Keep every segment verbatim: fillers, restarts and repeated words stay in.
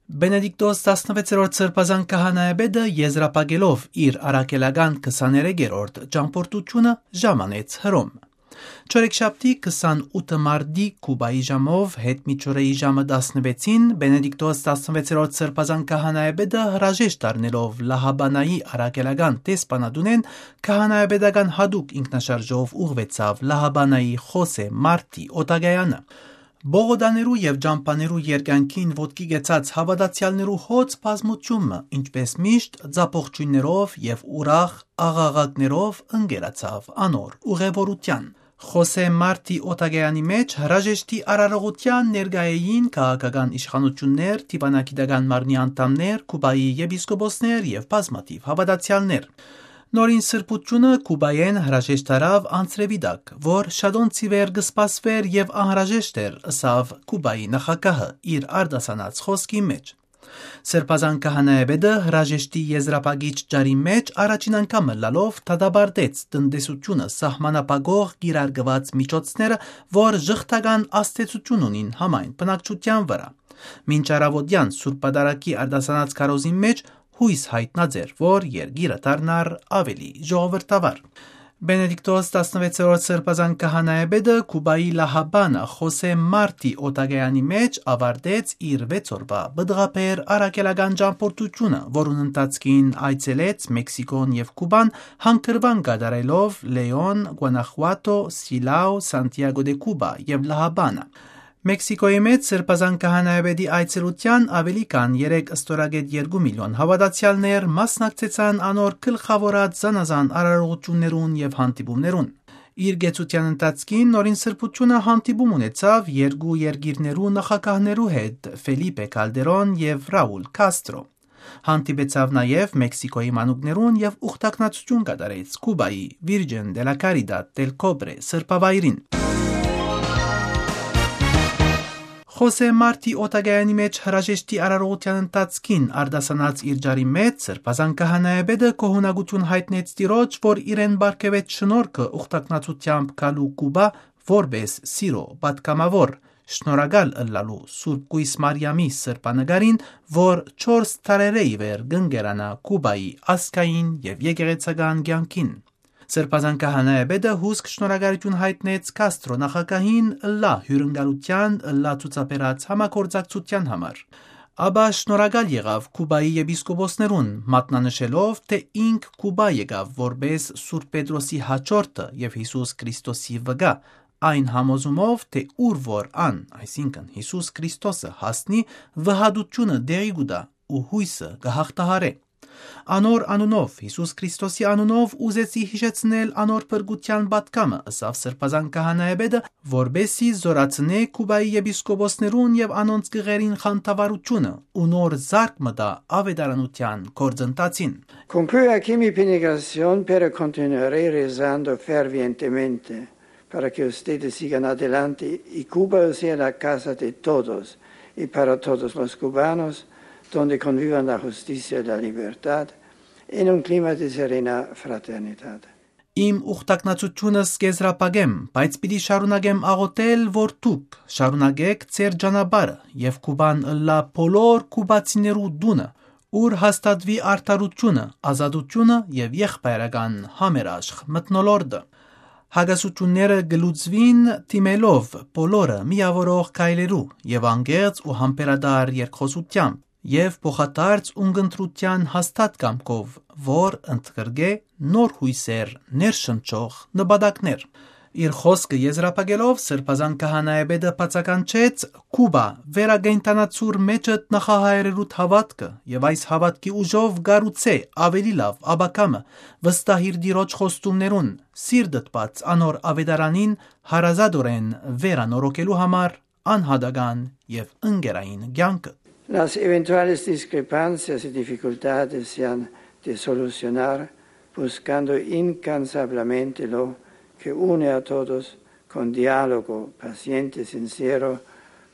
Բենեդիկտոս տասնվեցերորդ Սրբազան քահանայապետը, եզրափակելով իր առաքելական քսաներեքերորդ ճամբորդությունը, ժամանեց Հռոմ։ Չորեքշաբթի քսանութ մարտի Կուբայի ժամով, յետ միջօրեի ժամը տասնվեցին, Բենեդիկտոս տասնվեցերորդ Սրբազան քահանայապետը, հրաժեշտ առնելով Լահաբանայի առաքելական դեսպանատունէն, քահանայապետական յատուկ ինքնաշարժով ուղղուեցաւ Լահաբանայի Խոսե Մարտի օտակայանը։ Պողոտաներու եւ ճամբաներու երկայնքին ոտքի գեցած հաւատացեալներու հոծ բազմութիւնը, ինչպէս միշտ, ձապողջոյններով եւ ուրախ աղաղակներով ընկերացաւ անոր ուղեւորութեան։ Խոսե Մարտի օտակայանի մէջ հրաժեշտի արարողութեան ներկայ էին քաղաքական իշխանութիւններ, դիւանագիտական մարմնի անդամներ, Կուբայի եպիսկոպոսներ եւ բազմաթիւ հաւատացեալներ։ Նորին սրբութիւնը Կուբայէն հրաժեշտ առաւ անձրեւի տակ, որ շատոնց ի վեր կը սպասուէր եւ անհրաժեշտ էր, ըսաւ Կուբայի նախագահը իր արտասանած խօսքի մէջ։ Սրբազան քահանայապետը հրաժեշտի եզրափակիչ ճառի մէջ առաջին անգամ ըլլալով դատապարտեց տնտեսութիւնը սահմանափակող կիրարկուած միջոցները, որ ժխտական ազդեցութիւն ունին համայն բնակչութեան վրայ։ Մինչ առաւօտեան Սուրբ Պատարագի արտասանած քարոզին մէջ յոյս յայտնած էր, որ երկիրը դառնար աւելի ժողովրդավար։ Բենեդիկտոս տասնվեցերորդ Սրբազան քահանայապետը Կուբայի Լահաբանա Խոսե Մարտի օտակայանի մէջ աւարտեց իր վեց օրուայ պտղաբեր առաքելական ճամբորդութիւնը, որուն ընթացքին այցելեց Մեքսիքոն եւ Կուբան, հանգրուան կատարելով Լեոն, Գուանախուատո, Սիլաո, Սանտիագո դե Կուբա եւ Լահաբանա։ Մեքսիքոյի մէջ Սրբազան քահանայապետի այցելութեան աւելի քան երեք ստորագետ երկու միլիոն հաւատացեալներ մասնակցեցան անոր գլխաւորած զանազան արարողութիւններուն եւ հանդիպումներուն։ Իր կեցութեան ընթացքին նորին սրբութիւնը հանդիպում ունեցաւ երկու երկիրներու նախագահներու հետ՝ Ֆելիպե Կալդերոն եւ Ռաուլ Քաստրո։ Հանդիպեցաւ նաեւ Մեքսիքոյի մանուկներուն եւ ուխտակնացութիւն կատարեց Կուբայի Virgen de la Caridad del Cobre սրբավայրին։ Խոսե Մարտի օտակայանի մէջ հրաժեշտի արարողութեան ընթացքին արտասանած իր ճառի մէջ Սրբազան քահանայապետը գոհունակութիւն յայտնեց Տիրոջ, որ իրեն պարգեւեց շնորհքը ուխտակնացութեամբ գալու Կուբա որպէս սիրո պատգամաւոր, շնորհակալ ըլլալու Սուրբ Կոյս Մարիամի սրբանկարին, որ չորս դարերէ ի վեր կ'ընկերանայ Կուբայի ազգային եւ եկեղեցական կեանքին։ Սրբազան քահանայապետը հուսկ շնորհակալութիւն յայտնեց Քաստրո նախագահին ըլլայ հիւրընկալութեան, ըլլայ ցուցաբերած համագործակցութեան համար։ Ապա շնորհակալ եղաւ Կուբայի եպիսկոպոսներուն, մատնանշելով, թէ ինք Կուբա եկաւ որպէս Սուրբ Պետրոսի յաջորդը եւ Յիսուս Քրիստոսի վկայ, այն համոզումով, թէ ուր որ ան, այսինքն՝ Յիսուս Քրիստոսը, հասնի, վհատութիւնը տեղի կու տայ ու յոյսը կը յաղթահարէ։ Անոր անունով, Յիսուս Քրիստոսի անունով, ուզեցի յիշեցնել անոր փրկութեան պատգամը, ըսաւ Սրբազան քահանայապետը, որպէս զի զօրացնէ Կուբայի եպիսկոպոսներուն եւ անոնց գղերին խանդավառութիւնը ու նոր զարկ մը տայ աւետարանութեան գործընթացին։ Concludo che mi peregrinación, pero continuaré rezando fervientemente para que ustedes sigan adelante y Cuba sea la casa de todos y para todos los cubanos, donde convivan la justicia y la libertad en un clima de serena fraternidad. Իմ ուխտակնացութիւնս կ'եզրափակեմ, բայց պիտի շարունակեմ աղօթել, որ դուք շարունակէք ձեր ճանապարհը եւ Կուբան ըլլայ բոլոր կուբացիներու տունը, ուր հաստատուի արդարութիւնը, ազատութիւնը եւ եղբայրական համերաշխ մթնոլորտը։ Հակասութիւնները կը լուծուին դիմելով բոլորը միաւորող քայլերու եւ անկեղծ ու համբերատար երկխօսութեամբ եւ փոխադարձ ունկնդրութեան հաստատ կամքով, որ ընդգրկէ նոր յոյսեր ներշնչող նպատակներ։ Իր խօսքը եզրափակելով՝ Սրբազան քահանայապետը բացականչեց. «Կուբա, վերակենդանացուր մէջդ նախահայրերուդ հաւատքը եւ այս հաւատքի ուժով կառուցէ աւելի լաւ ապագայ մը, վստահիր Տիրոջ խոստումներուն, սիրտդ բաց անոր աւետարանին, հարազատօրէն վերանորոգելու համար անհատական եւ ընկերային կեանքը»։ Las eventuales discrepancias y dificultades se han de solucionar buscando incansablemente lo que une a todos con diálogo paciente, sincero,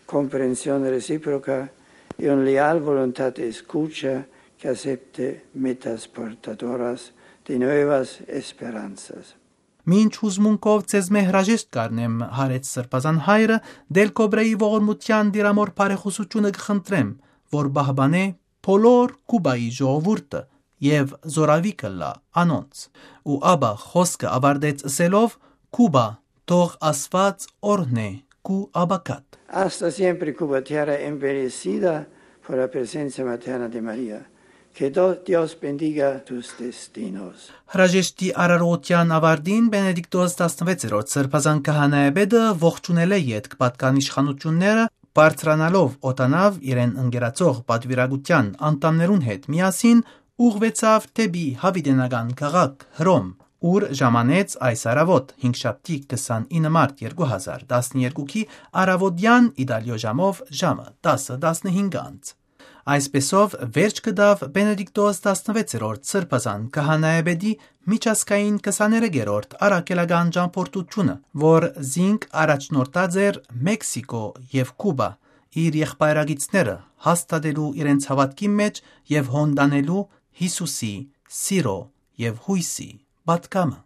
comprensión recíproca y una leal voluntad de escucha que acepte metas portadoras de nuevas esperanzas. «Մինչ յուզմունքով ձեզմէ հրաժեշտ կ'առնեմ», յարեց Սրբազան հայրը, «Դել Կոբրեի ողորմութեան դիրամոր բարեխօսութիւնը կը խնդրեմ, որ պահպանէ բոլոր Կուպայի ժողովուրդը եւ զորավիգ ըլլայ անոնց։ Ու ապա խօսքը աւարտեց ըսելով. «Կուպա, թող Աստուած օրհնէ քու ապագադ»։ Hasta siempre, Cuba, tierra embendecida por la presencia materna de María. Que Do-, Dios bendiga tus destinos. Հրաժեշտի արարողութեան աւարտին Բենեդիկտոս տասնվեցերորդ սրբազան քահանայապետը ողջունելէ ետք պատկան իշխանութիւնները բարձրանալով օտանաւ իրեն ընկերացող պատուիրակութեան անդամներուն հետ միասին ուղղուեցաւ դէպի յաւիտենական քաղաք Հռոմ, ուր ժամանեց այս առաւօտ, հինգշաբթի քսանինը մարտ երկու հազար տասներկուքի առաւօտեան Իտալիոյ ժամով ժամը տասը տասնհինգ անց։ Այսպեսով, վերջ կտաւ Բենեդիկտոս տասնվեցերորդ սրբազան քահանայապետի միջազգային քսաներկերորդ առաքելական ճամբորդութիւնը, որ զինք առաջնորդած էր Մեքսիքո եւ Կուբա, իր եղբայրագիցները հաստատելու իրենց հաւատքի մէջ եւ հոնդանելու Յիսուսի սիրո եւ յոյսի պատգամը։